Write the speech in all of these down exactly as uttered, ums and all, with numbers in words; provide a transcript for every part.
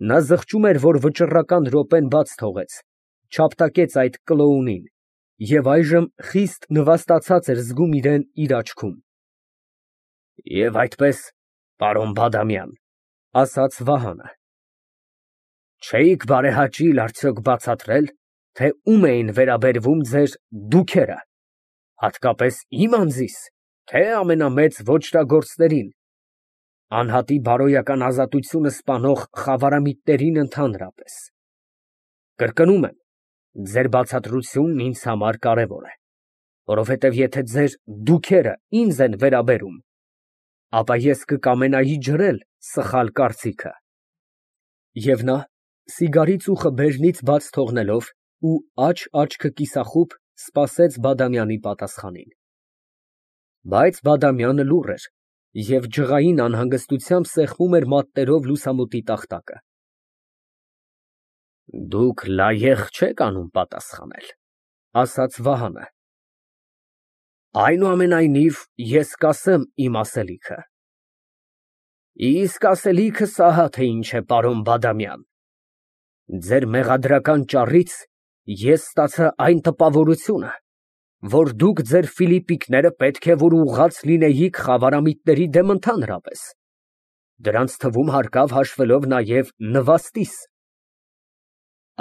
Նա զղջում էր, որ վճռական րոպեն բաց թողեց, չապտակեց այդ կլոունին և այժմ խիստ նվաստացած էր զգում իրան իր աչքում։ Եվ այդպես, պարոն Բադամյան, ֊ ասաց Վահանը, ֊ չէիք բարեհաճիլ արդյոք բացատրել, թե ում էին վերաբերվում ձեր դուքերը, հատկապես իմ անձի՞ս, թե ամենամեծ ոճրագործներին, անհատի բարոյական ազատությունը սպանող խավարամիտներին ընդհանրապես։ Կրկնում եմ, ձեր բացատրությունն ինձ համար կարևոր է, որովհետև եթե ձեր դուքերը ինձ են վերաբերում, ապա ես կկամենայի ջրել սխալ կարծիքը։ Եվ նա, սիգարի ծուխը բերնից բաց թողնելով ու աջ աչքը կիսախուբ, սպասեց Բադամյանի պատասխանին։ Բայց Բադամյանը լուռ էր և ջղային անհանգստությամբ սեղմում էր մատներով լուսամուտի տախտակը։ Դուք լայեղ չեք անում պատասխանել, ֊ ասաց Վահանը։ Այնուամենայնիվ, ես կասեմ իմ ասելիքը։ Իսկ ասելիքս ահա թե ինչ է, պարոն Բադամյան, ձեր մեղադրական ճառից ես ստացա այն տպավորությունը, որ դուք ձեր ֆիլիպիկները պետք է որ ուղղած լինեիք խավարամիտների դեմ ընդհանրապես, դրանց թվում հարկավ հաշվելով նաև նվաստիս։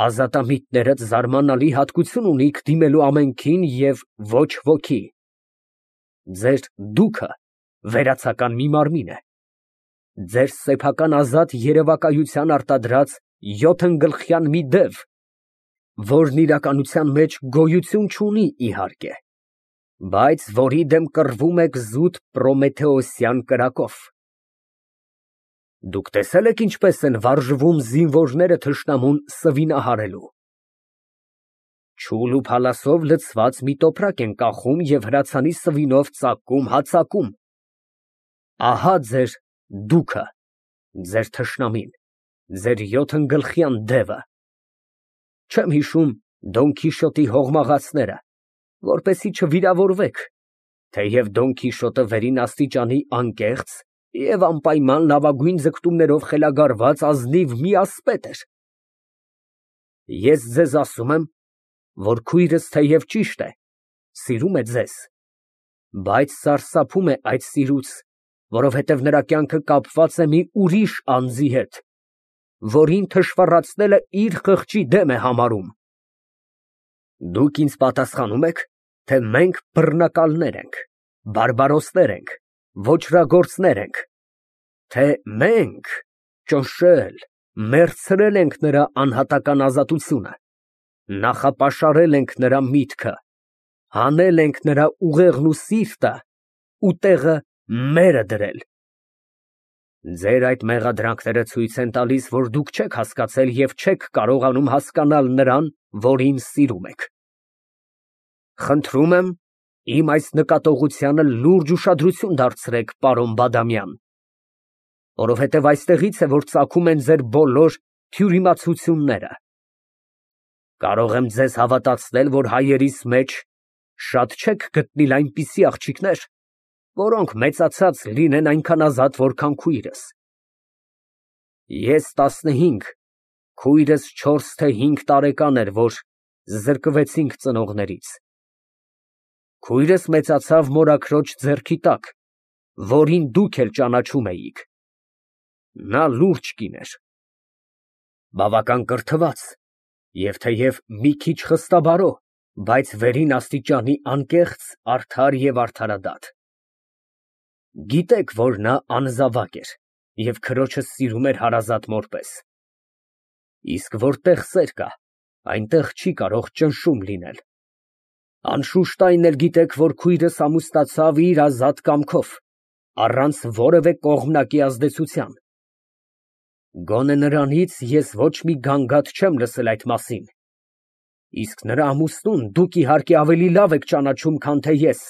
Ազատամիտներդ զարմանալի հատկություն ունիք դիմելու ամենքին և ոչ ոքի։ Ձեր դուքը վերացական մի մարմին է, ձեր սեփական ազատ երևակայության արտադրած յոթնգլխյան մի դև, որն իրականության մեջ գոյություն չունի, իհարկե, բայց որի դեմ կռվում եք զուտ պրոմեթեոսյան կրակով։ Դուք տեսե՞լ եք ինչպես են վարժվում զինվորները թշնամուն սվինահարելու։ Չուլ ու փալասով լցված մի տոպրակ են կախում և հրացանի սվինով ծակում հա ծակում։ Ահա ձեր դուքը, ձեր թշնամին, ձեր յոթնգլխյան դևը։ Չեմ հիշում Դոն Քիշոտի հողմաղացները, որպեսզի չվիրավորվեք, թեև Դոն Քիշոտը վերին աստիճանի անկեղծ և անպայման լավագույն ձգտումներով խելագարված ազնիվ մի ասպետ էր։ Ես ձեզ ասում եմ, որ քույրս թեև ճիշտ է, սիրում է ձեզ, բայց սարսափում է այդ սիրուց, որովհետև նրա կյանքը կապված է մի ուրիշ անձի հետ, որին թշվառացնելը իր խղճի դեմ է համարում։ Դուք ինձ պատասխանում եք, թե մենք բռնակալներ ենք, բարբարոսներ ենք, ոճրագործներ ենք, թե մենք ճնշել, մերցրել ենք նրա անհատական ազատությունը, նախապաշարել ենք նրա միտքը, հանել ենք նրա ուղեղն ու սիրտը ու տեղը մերը դրել։ Ձեր այդ մեղադրանքները ցույց են տալիս, որ դուք չեք հասկացել և չեք կարողանում հասկանալ նրան, որին սիրում եք։ Խնդրում եմ, իմ այս նկատողությանը լուրջ ուշադրություն դարձրեք, պարոն Բադամյան, որովհետև այստեղից է, որ ծագում են ձեր բոլոր թյուրիմացությունները։ Կարող եմ ձեզ հավատացնել, որ հայերիս մեջ շատ չեք գտնել այնպիսի աղջիկներ, որոնք մեծացած լինեն այնքան ազատ, որքան քույրս։ Ես տասնհինգ, քույրս չորս թե հինգ տարեկան էր, որ զրկվեցինք ծնողներից։ Քույրս մեծացավ մորաքրոջ ձեռքի տակ, որին դուք էլ ճանաչում էիք։ Նա լուրջ կին էր, բավական կրթված և թեև մի քիչ խստաբարո, բայց վերին աստիճանի անկեղծ, արդար և արդարադատ։ Գիտեք, որ նա անզավակ էր և քրոջը սիրում էր հարազատ մոր պես։ Իսկ որտեղ սեր կա, այնտեղ չի կարող ճնշում լինել։ Անշուշտ այն էլ գիտեք, որ քույրս ամուսնացավ իր ազատ կամքով, առանց որևէ կողմնակի ազդեցության։ Գոնե նրանից ես ոչ մի գանգատ չեմ լսել այդ մասին, իսկ նրա ամուսնուն դուք իհարկե ավելի լավ եք ճանաչում, քան թե ես,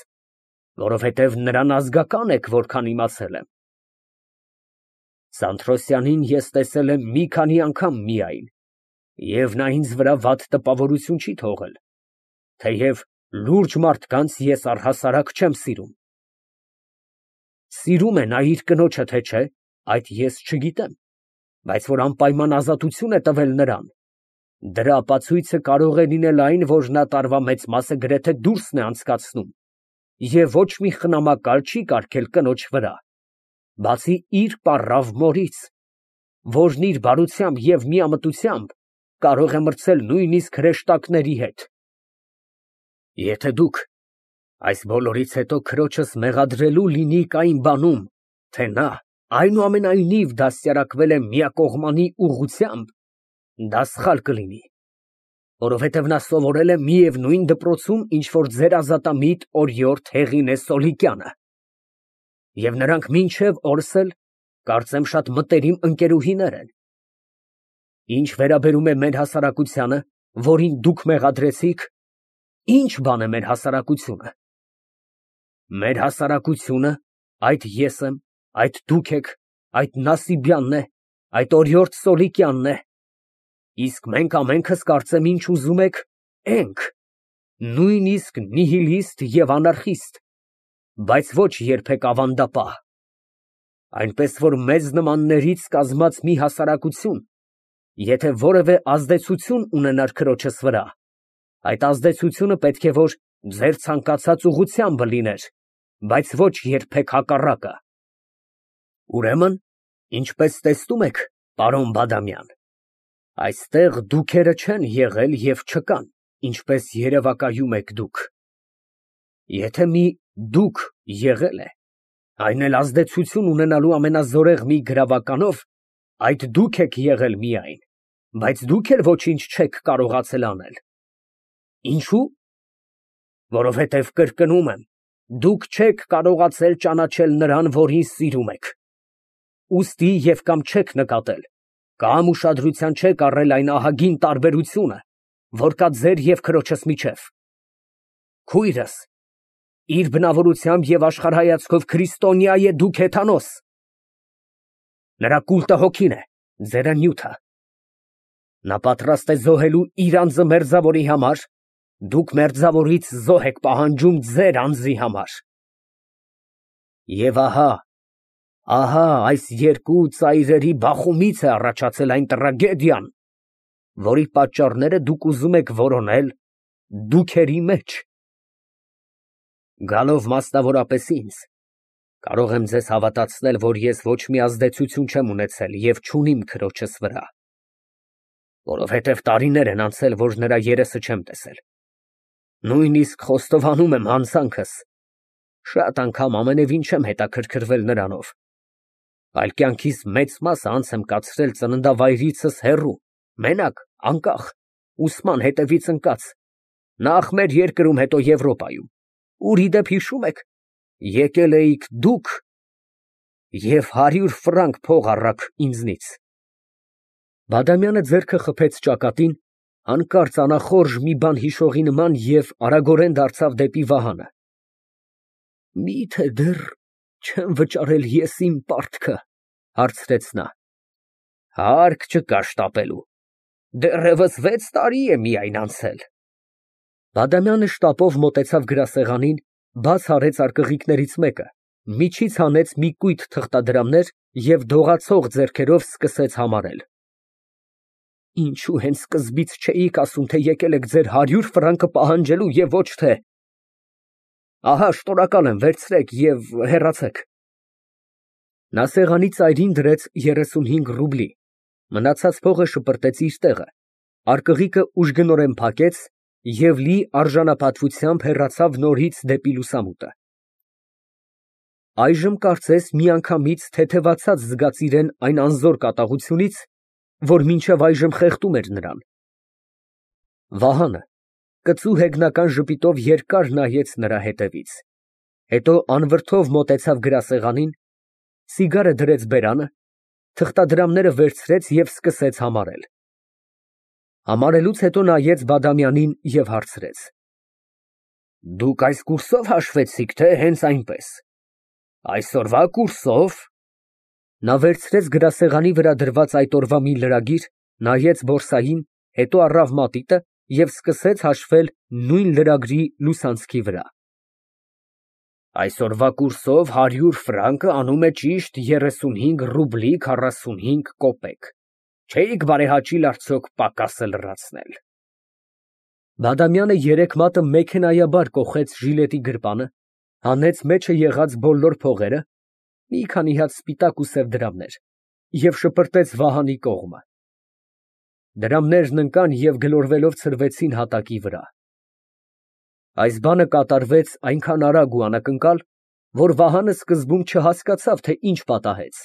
որովհետև նրան ազգական եք, որքան իմացել եմ։ Սանթրոսյանին ես տեսել եմ մի քանի անգամ միայն, և նա ինձ վրա վատ տպավորություն չի թողել, թեև լուրջ մարդկանց ես առհասարակ չեմ սիրում։ Սիրում է նա իր կնոջը, թե չէ, այդ ես չգիտեմ, բայց որ անպայման ազատություն է տվել նրան, դրա ապացույցը կարող է լինել այն, որ նա տարվա մեծ մասը գրեթե դուրսն է անցկացնում և ոչ մի խնամակալ չի կարգել կնոջ վրա, բացի իր պառավ մորից, որն իր բարությամբ և միամտությամբ կարող է մրցել նույնիսկ հրեշտակների հետ։ Եթե դուք այս բոլորից հետո քրոջս մեղադրելու լինիք այն բանում, թե նա այնուամենայնիվ դաստիարակվել է միակողմանի ուղղությամբ, դա սխալ կլինի, որովհետև նա սովորել է միևնույն դպրոցում, ինչ որ ձեր ազատամիտ օրիորդ Հեղինե Սոլիկյանը, և նրանք մինչև օրս էլ, կարծեմ, շատ մտերիմ ընկերուհիներ են։ Ինչ վերաբերում է մեր հասարակությանը, որին դուք մեղադրեցիք, ի՞նչ բան է մեր հասարակությունը։ Մեր հասարակությունը այդ ես եմ, այդ դուք եք, այդ Նասիբյանն է, այդ օրիորդ Սոլիկյանն է, իսկ մենք ամենքս կարծեմ ինչ ուզում եք, ենք, նույնիսկ նիհիլիստ և անարխիստ, բայց ոչ երբեք ավանդապահ, այնպես որ մեզ նմաններից կազմած մի հասարակություն, եթե որևէ ազդեցություն ունենար քրոջս վրա, այդ ազդեցությունը պետք է որ ձեր ցանկացած ուղղությամբ լիներ, բայց ոչ երբեք հակառակը։ Ուրեմն, ինչպես տեսնում եք, պարոն Բադամյան, այստեղ դուքերը չեն եղել և չկան, ինչպես երևակայում եք դուք։ Եթե մի դուք եղել է, այն էլ ազդեցություն ունենալու ամենազորեղ մի գրավականով, այդ դուք եք եղել միայն, բայց դուք էլ ոչինչ չեք կարողացել անել։ Ինչո՞ւ։ Որովհետև կրկնում եմ, դուք չեք կարողացել ճանաչել նրան, որին սիրում եք, ուստի և կամ չեք նկատել, կամ ուշադրության չեք առել այն ահագին տարբերությունը, որ կա ձեր և քրոջս միջև։ Քույրս իր բնավորությամբ և աշխարհայացքով քրիստոնյա է, դուք հեթանոս։ Նրա կուլտը հոգին է, ձերը նյութը։ Նա պատրաստ է զոհելու իր անձը մերձավորի համար, դուք մերձավորից զոհ եք պահանջում ձեր անձի համար։ Եվ ահա, ահա այս երկու ծայրերի բախումից է առաջացել այն տրագեդիան, որի պատճառները դուք ուզում եք որոնել դուքերի մեջ։ Գալով մասնավորապես ինձ, կարող եմ ձեզ հավատացնել, որ ես ոչ մի ազդեցություն չեմ ունեցել և չունիմ քրոջս վրա, որովհետև տարիներ են անցել, որ նրա երեսը չեմ տեսել, նույնիսկ խոստովանում եմ հանցանքս, շատ անգամ ամենևին չեմ հետաքրքրվել նրանով, այլ կյանքիս մեծ մասը անց եմ կացրել ծննդավայրիցս հեռու, մենակ, անկախ, ուսման հետևից ընկած, նախ մեր երկրում, հետո Եվրոպայում, ուր, ի դեպ, հիշո՞ւմ եք, եկել էիք դուք և հարյուր ֆրանկ փող առաք ինձնից։ Բադամյանը ձեռքը խփեց ճակատին, հանկարծ անախորժ մի բան հիշողի նման և արագորեն դարձավ դեպի Վահանը։ Մի՞թե դեռ չեմ վճարել ես իմ պարտքը, հարցրեց նա։ Հարկ չկա շտապելու, դեռևս վեց տարի է միայն անցել։ Բադամյանը շտապով մոտեցավ գրասեղանին, բաց արեց արկղիկներից մեկը, միջից հանեց մի կույտ թղթադրամներ և դողացող ձեռքերով սկսեց համարել։ Ինչո՞ւ հենց սկզբից չէիք ասում, թե եկել եք ձեր հարյուր ֆրանկը պահանջելու և ոչ թե… Ահա, շնորհակալ եմ, վերցրեք և հեռացեք։ Նա սեղանի ծայրին դրեց երեսունհինգ ռուբլի, մնացած փողը շպրտեց իր տեղը, արկղիկը ուժգնորեն փակեց և լի արժանապատվությամբ հեռացավ նորից դեպի լուսամուտը։ Այժմ կարծես միանգամից թեթևացած զգաց իրեն այն անզոր կատաղությունից, որ մինչև այժմ խեղդում էր նրան։ Վահանը կծու հեգնական ժպիտով երկար նայեց նրա ետևից, հետո անվրդով մոտեցավ գրասեղանին, ցիգարը դրեց բերանը, թղթադրամները վերցրեց և սկսեց համարել։ Համարելուց հետո նայեց Բադամյանին և հարցրեց. Դուք այս կուրսով հաշվեցիք, թե հենց այնպես։ Այսօրվա կուրսով։ Նա վերցրեց գրասեղանի վրա դրված այդ օրվա մի լրագիր, նայեց բորսային, հետո առավ մատիտը և սկսեց հաշվել նույն լրագրի լուսանցքի վրա։ Այսօրվա կուրսով հարյուր ֆրանկը անում է ճիշտ երեսունհինգ ռուբլի քառասունհինգ կոպեկ։ Չէիք բարեհաճիլ արդյոք պակասը լրացնել։ Բադամյանը երեք մատը մեքենայաբար կոխեց ժիլետի գրպանը, հանեց մեջը եղած բոլոր փողերը, մի քանի հատ սպիտակ ու սև դրամներ, և շպրտեց Վահանի կողմը։ Դրամներն ընկան և գլորվելով ցրվեցին հատակի վրա։ Այս բանը կատարվեց այնքան արագ ու անակնկալ, որ Վահանը սկզբում չհասկացավ, թե ինչ պատահեց,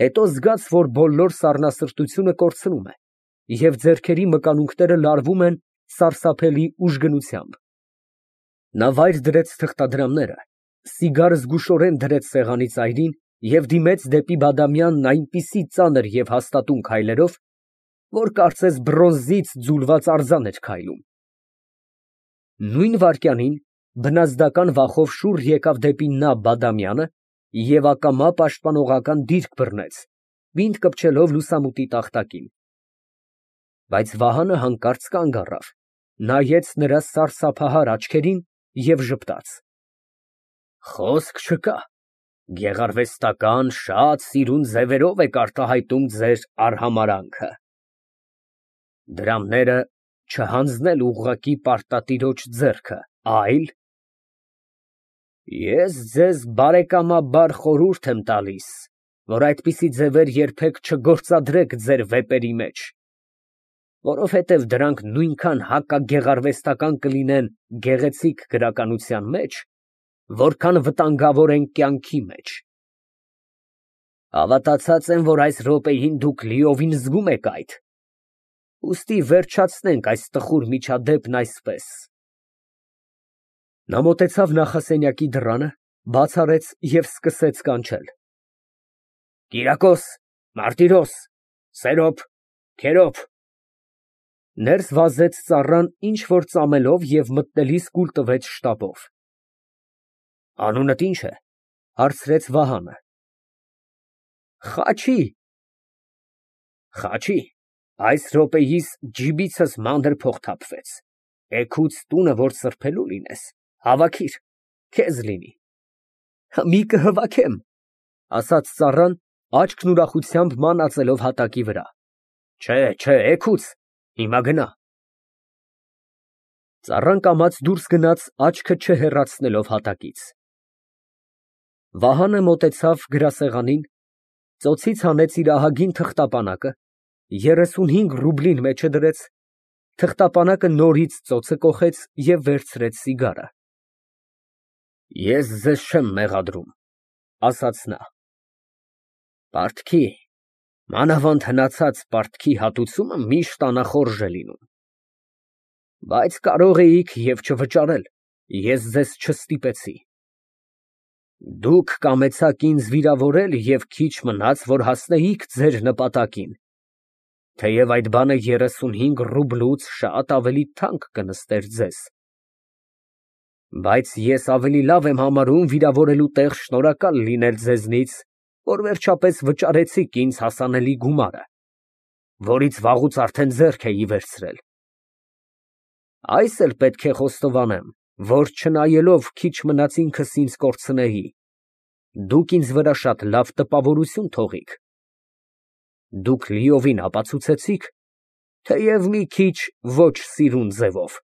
հետո զգաց, որ բոլոր սառնասրտությունը կորցնում է, և ձեռքերի մկանունքները լարվում են սարսափելի ուժգնությամբ։ Նա վայր դրեց թղթադրամները, սիգարը զգուշորեն դրեց սեղանի ծայրին և դիմեց դեպի Բադամյանն այնպիսի ծանր և հաստատուն քայլերով, որ կարծես բրոնզից ձուլված արձան էր քայլում։ Նույն վայրկյանին բնազդական վախով շուռ եկավ դեպի նա Բադամյանը և ակամա պաշտպանողական դիրք բռնեց, բինտ կպչելով լուսամուտի տախտակին։ Բայց Վահանը հանկարծ կանգ առավ, նայեց նրա սարսափահար աչքերին և ժպտաց. Խոսք չկա, գեղարվեստական, շատ սիրուն ձևերով եք արտահայտում ձեր արհամարհանքը։ Դրամները չհանձնել ուղղակի պարտատիրոջ ձեռքը, այլ… Ես ձեզ բարեկամաբար խորհուրդ եմ տալիս, որ այդպիսի ձևեր երբեք չգործադրեք ձեր վեպերի մեջ, որովհետև դրանք նույնքան հակագեղարվեստական կլինեն գեղեցիկ գրականության մեջ, որքան վտանգավոր են կյանքի մեջ։ Հավատացած եմ, որ այս րոպեին դուք լիովին զգում եք այդ, ուստի վերջացնենք այս տխուր միջադեպն այսպես։ Նա մոտեցավ նախասենյակի դռանը, բաց արեց և սկսեց կանչել. Կիրակոս, Մարտիրոս, Սերոբ, Քերոբ… Ներս վազեց ծառան ինչ֊որ ծամելով և մտնելիս կուլ տվեց շտապով։ Անունդ ի՞նչ է, հարցրեց Վահանը։ Խաչի… Խաչի, այս րոպեիս ջիբիցս մանր փող թափվեց, էգուց տունը որ սրբելու լինես, հավաքիր, քեզ լինի։ Մի կհավաքեմ, ասաց ծառան, աչքն ուրախությամբ մանածելով հատակի վրա։ Չէ, չէ, էգուց, հիմա գնա։ Ծառան կամաց դուրս գնաց, աչքը չհեռացնելով հատակից։ Վահանը մոտեցավ գրասեղանին, ծոցից հանեց իր ահագին թղթապանակը, երեսունհինգ ռուբլին մեջը դրեց, թղթապանակը նորից ծոցը կոխեց և վերցրեց սիգարը։ Ես ձեզ չեմ մեղադրում, ասաց նա։ Պարտքի, մանավանդ հնացած պարտքի հատուցումը միշտ անախորժ է լինում, բայց կարող էիք և չվճարել, ես ձեզ չստիպեցի։ Դուք կամեցաք ինձ վիրավորել և քիչ մնաց, որ հասնեիք ձեր նպատակին, թեև այդ բանը երեսունհինգ ռուբլուց շատ ավելի թանկ կնստեր ձեզ։ Բայց ես ավելի լավ եմ համարում վիրավորելու տեղ շնորհակալ լինել ձեզնից, որ վերջապես վճարեցիք ինձ հասանելի գումարը, որից վաղուց արդեն ձեռք էի վերցրել։ Այս էլ պետք է խոստովանեմ, որ չնայելով քիչ մնաց ինքս ինձ կորցնեի, դուք ինձ վրա շատ լավ տպավորություն թողիք։ Դուք լիովին ապացուցեցիք, թեև մի քիչ ոչ սիրուն ձևով,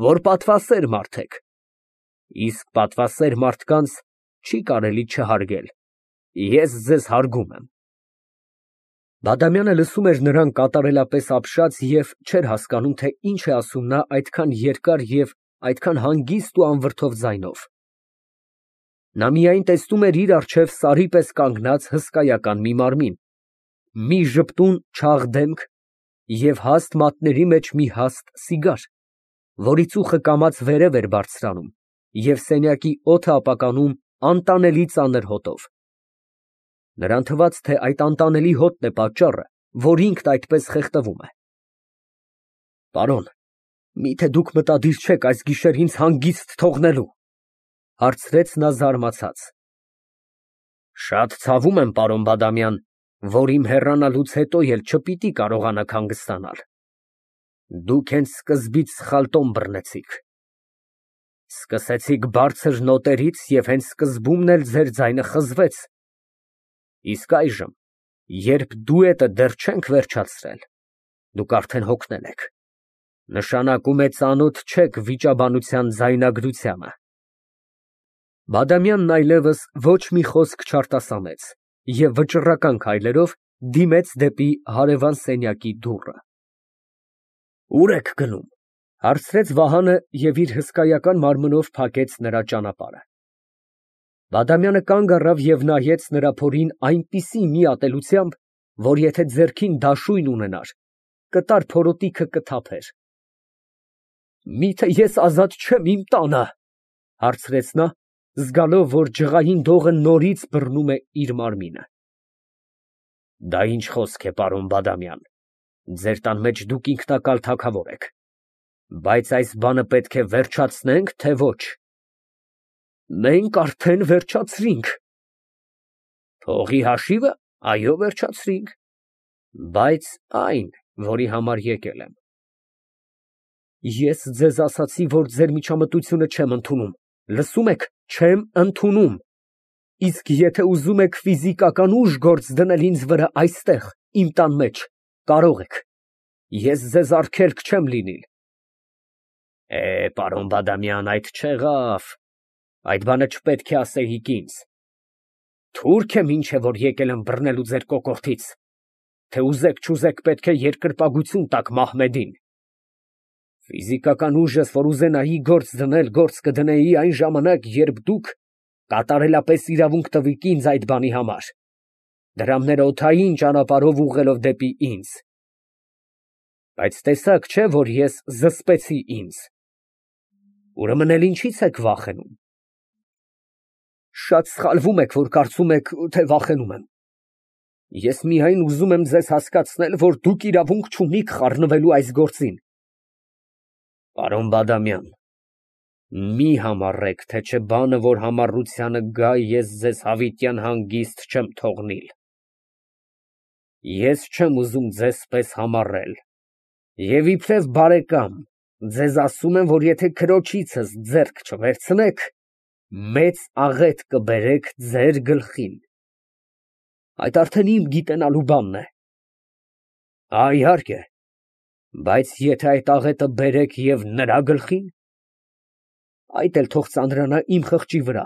որ պատվասեր մարդ եք, իսկ պատվասեր մարդկանց չի կարելի չհարգել, ես ձեզ հարգում եմ։ Բադամյանը լսում էր նրան կատարելապես ապշած և չէր հասկանում, թե ինչ է ասում նա այդքան երկար և այդքան հանգիստ ու անվրդով ձայնով։ Նա միայն տեսնում էր իր առջև սարի պես կանգնած հսկայական մի մարմին, մի ժպտուն չաղ դեմք և հաստ մատների մեջ մի հաստ սիգար, որի ծուխը կամաց վերև էր բարձրանում և սենյակի օդը ապականում անտանելի ծանր հոտով։ Նրան թվաց, թե այդ անտանելի հոտն է պատճառը, որ ինքն այդպես խեղդվում է։ Պարոն, մի՞թե դուք մտադիր չեք այս գիշեր ինձ հանգիստ թողնելու, հարցրեց նա զարմացած։ Շատ ցավում եմ, պարոն Բադամյան, որ իմ հեռանալուց հետո էլ չպիտի կարողանաք հանգստանալ։ Դուք հենց սկզբից սխալ տոն բռնեցիք։ Սկսեցիք բարձր նոտերից և հենց սկզբումն էլ ձեր ձայնը խզվեց, իսկ այժմ Երբ դուետը դեռ չենք վերջացրել, դուք արդեն հոգնել եք, նշանակում է ծանոթ չեք վիճաբանության ձայնագրությանը։ Բադամյանն այլևս ոչ մի խոսք չարտասանեց և վճռական քայլերով դիմեց դեպի հարևան սենյակի դուռը։ Ո՞ւր եք գնում, ֊ հարցրեց Վահանը և իր հսկայական մարմնով փակեց նրա ճանապարհը։ Բադամյանը կանգ առավ և նայեց նրա փորին այնպիսի մի ատելությամբ, որ եթե ձեռքին դաշույն ունենար, կտար փորոտիքը կթափեր։ Միթե ես ազատ չե՞մ իմ տանը, ֊ հարցրեց նա, զգալով, որ ջղային դողը նորից բռնում է իր մարմինը։ Դա ի՞նչ խոսք է, պարոն Բադամյան, ձեր տան մեջ դուք ինքնակալ թագավոր եք, բայց այս բանը պետք է վերջացնե՞նք, թե ոչ։ Մենք արդեն վերջացրինք։ Փողի հաշիվը, այո, վերջացրինք, բայց այն, որի համար եկել եմ։ Ես ձեզ ասացի, որ ձեր միջամտությունը չեմ ընդունում, լսում եք, չեմ ընդունում։ Իսկ եթե ուզում եք ֆիզիկական ուժ գործ դնել ինձ վրա այստեղ, իմ տան մեջ, կարող եք, ես ձեզ արգելք չեմ լինիլ։ Է, պարոն Բադամյան, այդ չեղավ, այդ բանը չպետք է ասեիք ինձ։ Թուրք եմ ինչ է, որ եկել եմ բռնելու ձեր կոկորդից, թե ուզեք չուզեք պետք է երկրպագություն տաք Մահմեդին։ Ֆիզիկական ուժս, որ ուզենայի գործ դնել, գործ կդնեի այն ժամանակ, երբ դուք կատարելապես իրավունք տվիք ինձ այդ բանի համար, դրամները օդային ճանապարհով ուղղելով դեպի ինձ։ Բայց տեսաք, չէ՞, որ ես զսպեցի ինձ։ Ուրեմն էլ ինչի՞ց եք վախենում։ Շատ սխալվում եք, որ կարծում եք, թե վախենում եմ։ Ես միայն ուզում եմ ձեզ հասկացնել, որ դուք իրավունք չունիք խառնվելու այս գործին։ Պարոն Բադամյան, մի համառեք, թե չէ բանը, որ համառությանը գա, ես ձեզ հավիտյան հանգիստ չեմ թողնիլ։ Ես չեմ ուզում ձեզ պես համառել և իբրև բարեկամ ձեզ ասում եմ, որ եթե քրոջիցս ձեռք չվերցնեք, մեծ աղետ կբերեք ձեր գլխին։ Այդ արդեն իմ գիտենալու բանն է։ Հա, իհարկե, բայց եթե այդ աղետը բերեք և նրա գլխին, այդ էլ թող ծանրանա իմ խղճի վրա։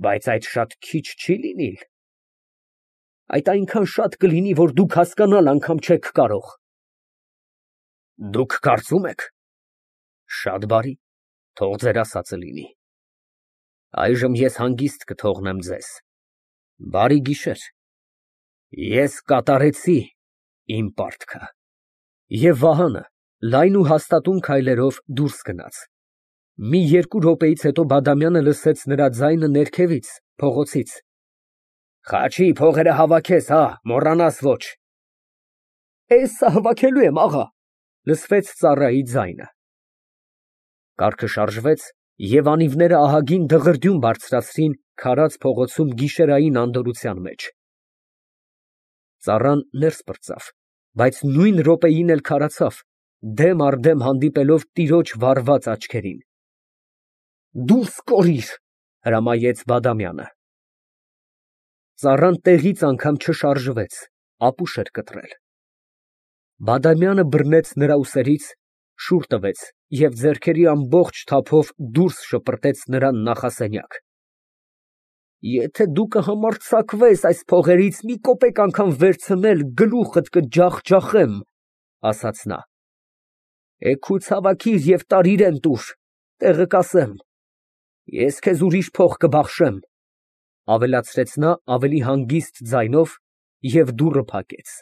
Բայց այդ շատ քիչ չի լինիլ։ Այդ այնքան շատ կլինի, որ դուք հասկանալ անգամ չեք կարող։ Դուք կարծում եք։ Շատ բարի, թող ձեր ասածը լինի։ Այժմ ես հանգիստ կթողնեմ ձեզ։ Բարի գիշեր։ Ես կատարեցի իմ պարտքը։ Եվ Վահանը լայն ու հաստատուն քայլերով դուրս գնաց։ Մի երկու րոպեից հետո Բադամյանը լսեց նրա ձայնը ներքևից, փողոցից։ Խաչի փողերը հավաքես, հա, մոռանաս ոչ։ Էս հավաքելու եմ, աղա, լսվեց ծառայի ձայնը։ Կառքը շարժվեց, և անիվները ահագին դղրդյուն բարձրացրին քարած փողոցում գիշերային անդորրության մեջ։ Ծառան ներս պրծավ, բայց նույն րոպեին էլ քարացավ, դեմ առ դեմ հանդիպելով տիրոջ վառված աչքերին։ Դուրս կորիր, հրամայեց Բադամյանը։ Ծառան տեղից անգամ չշարժվեց, ապուշ էր կտրել։ Բադամյանը բռնեց նրա ուսերից, շուռ տվեց և ձեռքերի ամբողջ թափով դուրս շպրտեց նրան նախասենյակ։ Եթե դու կհամարձակվես այս փողերից մի կոպեկ անգամ վերցնել, գլուխդ կջախջախեմ, ասաց նա։ Էգուց հավաքիր և տար իրան տուր, տեղը կասեմ։ Ես քեզ ուրիշ փող կբախշեմ, ավելացրեց նա ավելի հանգիստ ձայնով և դուռը փակեց։